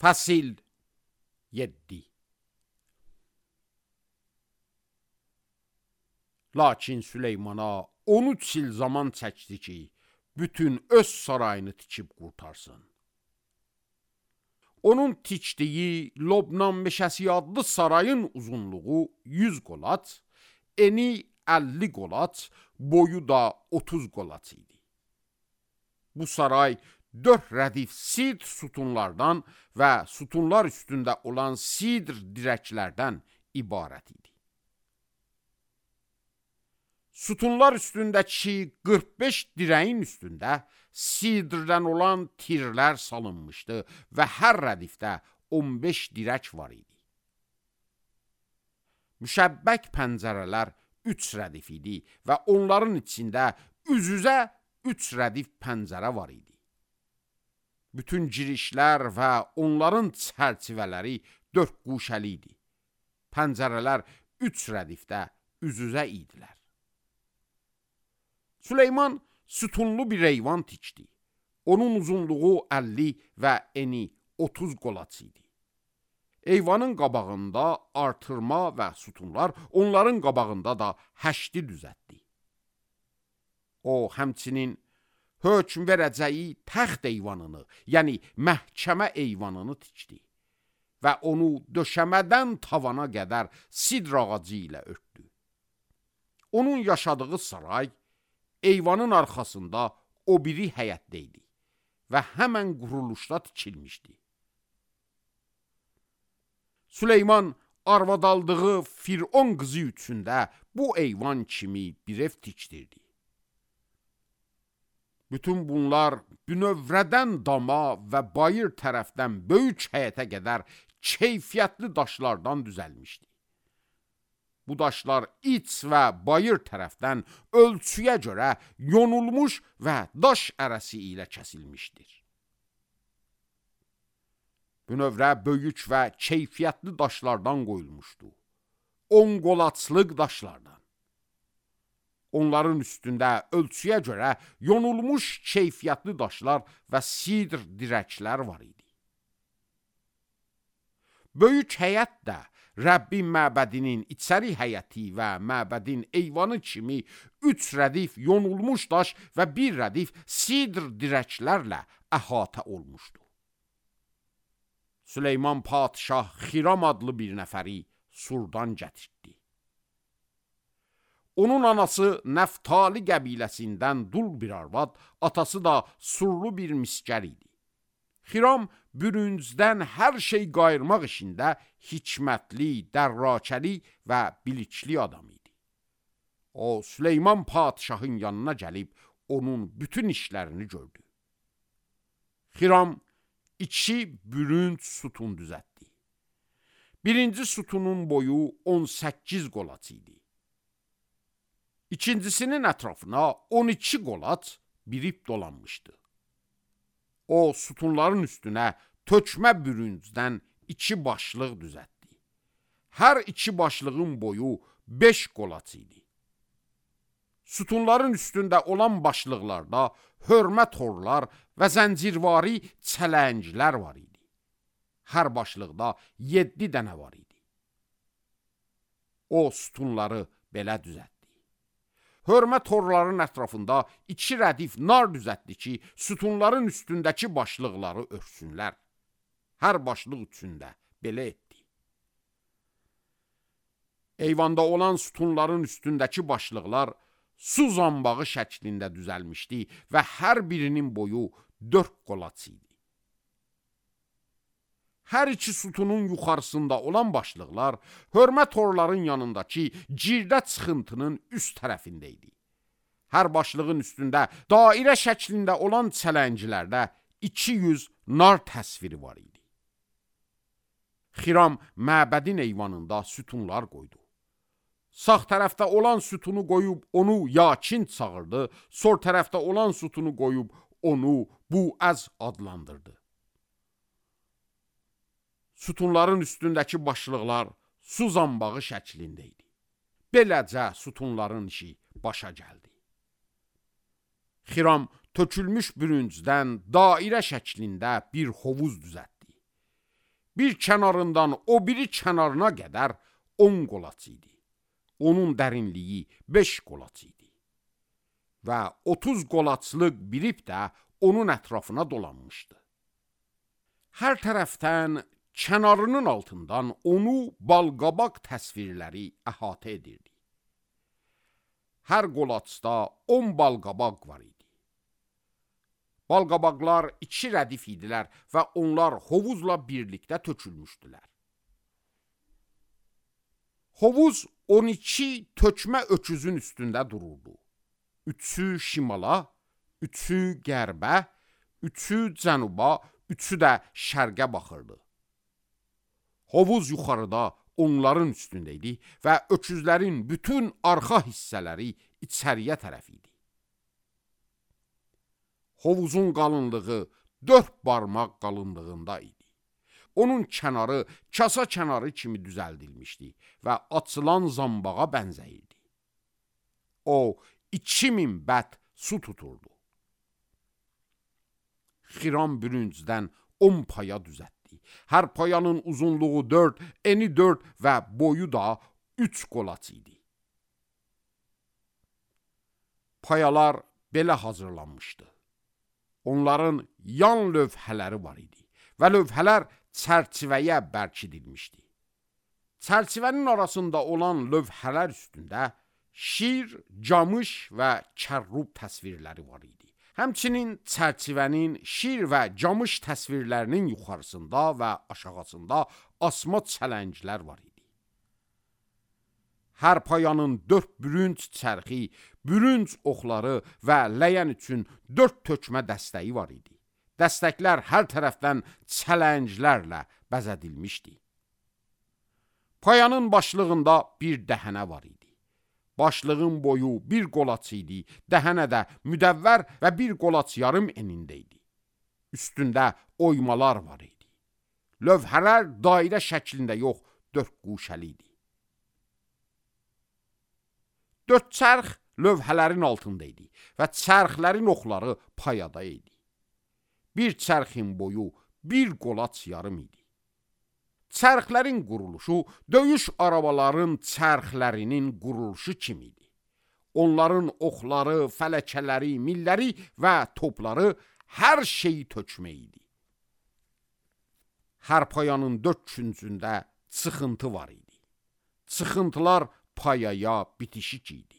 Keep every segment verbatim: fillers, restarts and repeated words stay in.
Fəsil yeddi. Lakin Süleymana on üç il zaman çəkdi ki, bütün öz sarayını tikib qurtarsın. Onun tikdiyi Lobnan meşəsi adlı sarayın uzunluğu yüz qolat, eni əlli qolat, boyu da otuz qolat idi. Bu saray dörd rədif sidr sütunlardan və sütunlar üstündə olan sidr dirəklərdən ibarət idi. Sütunlar üstündəki qırx beş dirəyin üstündə sidrdən olan tirlər salınmışdı və hər rədifdə on beş dirək var idi. Müşəbbək pəncərələr üç rədif idi və onların içində üz-üzə üç rədif pəncərə var idi. Bütün girişlər və onların çərçivələri dörd quşəli idi. Pəncərələr üç rədifdə üz-üzə idilər. Süleyman sütunlu bir eyvan tikdi. Onun uzunluğu əlli və eni otuz qolat idi. Eyvanın qabağında artırma və sütunlar, onların qabağında da həşti düzətdi. O, həmçinin hökm verəcəyi təxt eyvanını, yəni məhkəmə eyvanını tikdi və onu döşəmədən tavana qədər sidr ağacı ilə örtdü. Onun yaşadığı saray eyvanın arxasında o biri həyətdə idi və həmən quruluşda tikilmişdi. Süleyman arvad aldığı Firon qızı üçün də bu eyvan kimi bir ev tikdirdi. Bütün bunlar bünövrədən dama və bayır tərəfdən böyük həyətə qədər keyfiyyətli daşlardan düzəlmişdi. Bu daşlar iç və bayır tərəfdən ölçüyə görə yonulmuş və daş ərəsi ilə kəsilmişdir. Bünövrə böyük və keyfiyyətli daşlardan qoyulmuşdu. On qolaçlıq daşlardan. Onların üstündə ölçüyə görə yonulmuş keyfiyyətli daşlar və sidr dirəklər var idi. Böyük həyət də Rəbbin məbədinin içəri həyəti və məbədin eyvanı kimi üç rədif yonulmuş daş və bir rədif sidr dirəklərlə əhatə olmuşdu. Süleyman padişah Xiram adlı bir nəfəri Surdan gətirdi. Onun anası Nəftali qəbiləsindən dul bir arvad, atası da surlu bir miskər idi. Xiram bürüncdən hər şey qayırmaq işində hikmətli, dərrakəli və bilikli adam idi. O, Süleyman padişahın yanına gəlib, onun bütün işlərini gördü. Xiram iki bürünc sütun düzətdi. Birinci sütunun boyu on səkkiz qolat idi. İkincisinin ətrafına on iki qolat bir ip dolanmışdı. O, sütunların üstünə tökmə bürüncdən iki başlıq düzətdi. Hər iki başlığın boyu beş qolat idi. Sütunların üstündə olan başlıqlarda hörmə torlar və zəncirvari çələnglər var idi. Hər başlıqda yeddi dənə var idi. O, sütunları belə düzətdi. Hörmə torların ətrafında iki rədif nar düzətdi ki, sütunların üstündəki başlıqları örtsünlər. Hər başlıq üçündə belə etdi. Eyvanda olan sütunların üstündəki başlıqlar su zambağı şəklində düzəlmişdi və hər birinin boyu dörd qolat idi. Hər iki sütunun yuxarısında olan başlıqlar hörmə torların yanındakı girdə çıxıntının üst tərəfində idi. Hər başlığın üstündə dairə şəklində olan çələnglərdə iki yüz nar təsviri var idi. Xiram məbədin eyvanında sütunlar qoydu. Sağ tərəfdə olan sütunu qoyub onu Yakin çağırdı, sol tərəfdə olan sütunu qoyub onu Buəz adlandırdı. Sütunların üstündəki başlıqlar su zambağı şəklində idi. Beləcə sütunların işi başa gəldi. Xiram tökülmüş bürüncdən dairə şəklində bir hovuz düzətdi. Bir kənarından o biri kənarına qədər on qolaç idi. Onun dərinliyi beş qolaç idi. Və otuz qolaçlıq bir ip də onun ətrafına dolanmışdı. Hər tərəfdən kənarının altından onu balqabaq təsvirləri əhatə edirdi. Hər qolaçda on balqabaq var idi. Balqabaqlar iki rədif idilər və onlar hovuzla birlikdə tökülmüşdülər. Hovuz on iki tökmə öküzün üstündə dururdu. Üçü şimala, üçü qərbə, üçü cənuba, üçü də şərqə baxırdı. Hovuz yuxarıda onların üstündə idi və öküzlərin bütün arxa hissələri içəriyə tərəf idi. Hovuzun qalınlığı dörd barmaq qalınlığında idi. Onun kənarı kasa kənarı kimi düzəldilmişdi və açılan zambağa bənzəyirdi. O, iki min bət su tuturdu. Xiram bürüncdən on paya düzəltdi. Hər payanın uzunluğu dörd, eni dörd və boyu da üç qolaç idi. Payalar belə hazırlanmışdı. Onların yan lövhələri var idi və lövhələr çərçivəyə bərkidilmişdi. Çərçivənin arasında olan lövhələr üstündə şir, camış və kərrub təsvirləri var idi. Həmçinin çərçivənin şir və camış təsvirlərinin yuxarısında və aşağısında asma çələnglər var idi. Hər payanın dörd bürünc çərxi, bürünc oxları və ləyən üçün dörd tökmə dəstəyi var idi. Dəstəklər hər tərəfdən çələnglərlə bəzədilmişdi. Payanın başlığında bir dəhənə var idi. Başlığın boyu bir qolaç idi, dəhənə də müdəvvər və bir qolaç yarım enində idi. Üstündə oymalar var idi. Lövhələr dairə şəklində yox, dörd quşəli idi. Dörd çərx lövhələrin altında idi və çərxlərin oxları payada idi. Bir çərxin boyu bir qolaç yarım idi. Çərxlərin quruluşu döyüş arabaların çərxlərinin quruluşu kimi idi. Onların oxları, fələkələri, milləri və topları hər şeyi tökmə idi. Hər payanın dörd küncündə çıxıntı var idi. Çıxıntılar payaya bitişik idi.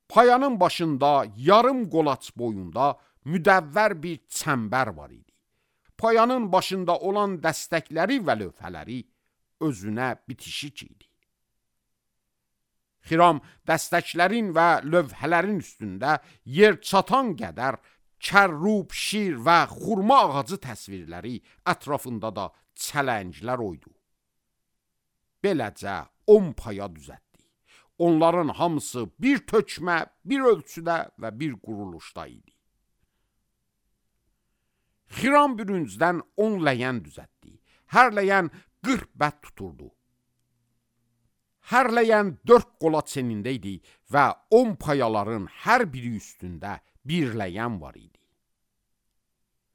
Payanın başında yarım qolaç boyunda müdəvvər bir çəmbər var idi. Payanın başında olan dəstəkləri və lövhələri özünə bitişik idi. Xiram dəstəklərin və lövhələrin üstündə yer çatan qədər kərrub, şir və xurma ağacı təsvirləri, ətrafında da çələnglər oydu. Beləcə on paya düzəltdi. Onların hamısı bir tökmə, bir ölçüdə və bir quruluşda idi. Xiram bürüncdən on ləyən düzəltdi. Hər ləyən qırx bət tuturdu. Hər ləyən dörd qolaç enində idi və on payaların hər biri üstündə bir ləyən var idi.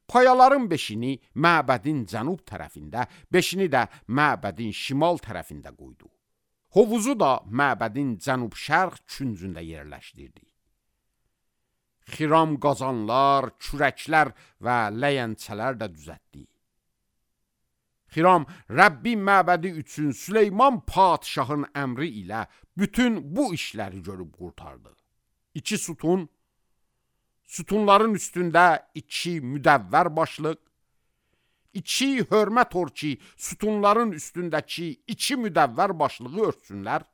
Payaların beşini məbədin cənub tərəfində, beşini də məbədin şimal tərəfində qoydu. Hovuzu da məbədin cənub-şərq küncündə yerləşdirdi. Xiram qazanlar, kürəklər və ləyənçələr də düzəltdi. Xiram Rəbbin məbədi üçün Süleyman padşahın əmri ilə bütün bu işləri görüb qurtardı. İki sütun, sütunların üstündə iki müdəvvər başlıq, iki hörmət or ki, sütunların üstündəki iki müdəvvər başlığı örtsünlər,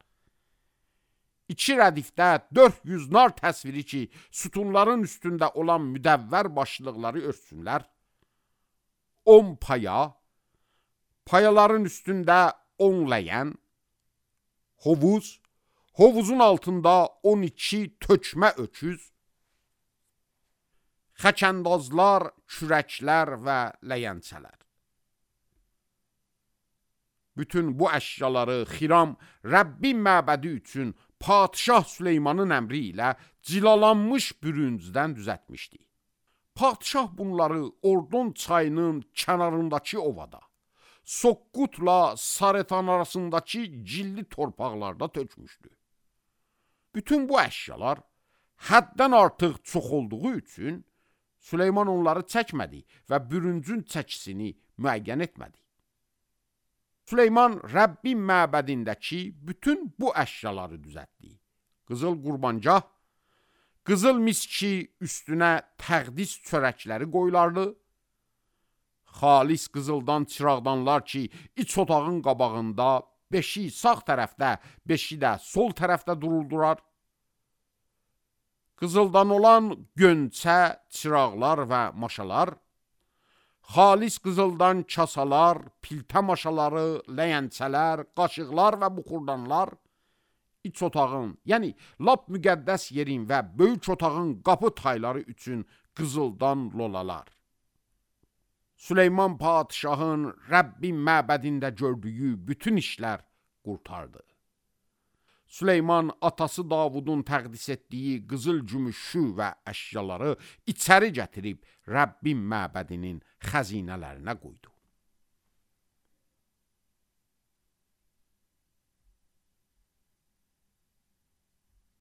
İki rədifdə dörd yüz nar təsviri ki, sütunların üstündə olan müdəvvər başlıqları örtsünlər. On paya, payaların üstündə on ləyən, hovuz, hovuzun altında on iki tökmə öküz, xəkəndazlar, kürəklər və ləyənçələr. Bütün bu əşyaları Xiram Rəbbin məbədi üçün Padşah Süleymanın əmri ilə cilalanmış bürüncdən düzəltmişdi. Padşah bunları Ordon çayının kənarındakı ovada, Soqqutla Saretan arasındakı cilli torpaqlarda tökmüşdü. Bütün bu əşyalar həddən artıq çox olduğu üçün Süleyman onları çəkmədi və bürüncün çəkisini müəyyən etmədi. Süleyman Rəbbin məbədindəki bütün bu əşyaları düzəltdi. Qızıl qurbancah, qızıl miski üstünə təqdis çörəkləri qoyulardı, xalis qızıldan çıraqdanlar ki, iç otağın qabağında beşi sağ tərəfdə, beşi də sol tərəfdə duruldurar. Qızıldan olan gönçə, çıraqlar və maşalar, xalis qızıldan kasalar, piltə maşaları, ləyəncələr, qaşıqlar və buxurdanlar, iç otağın, yəni lap müqəddəs yerin və böyük otağın qapı tayları üçün qızıldan lolalar. Süleyman padişahın Rəbbin məbədində gördüyü bütün işlər qurtardı. Süleyman atası Davudun təqdis etdiyi qızıl gümüşü və əşyaları içəri gətirib Rəbbin məbədinin xəzinələrinə qoydu.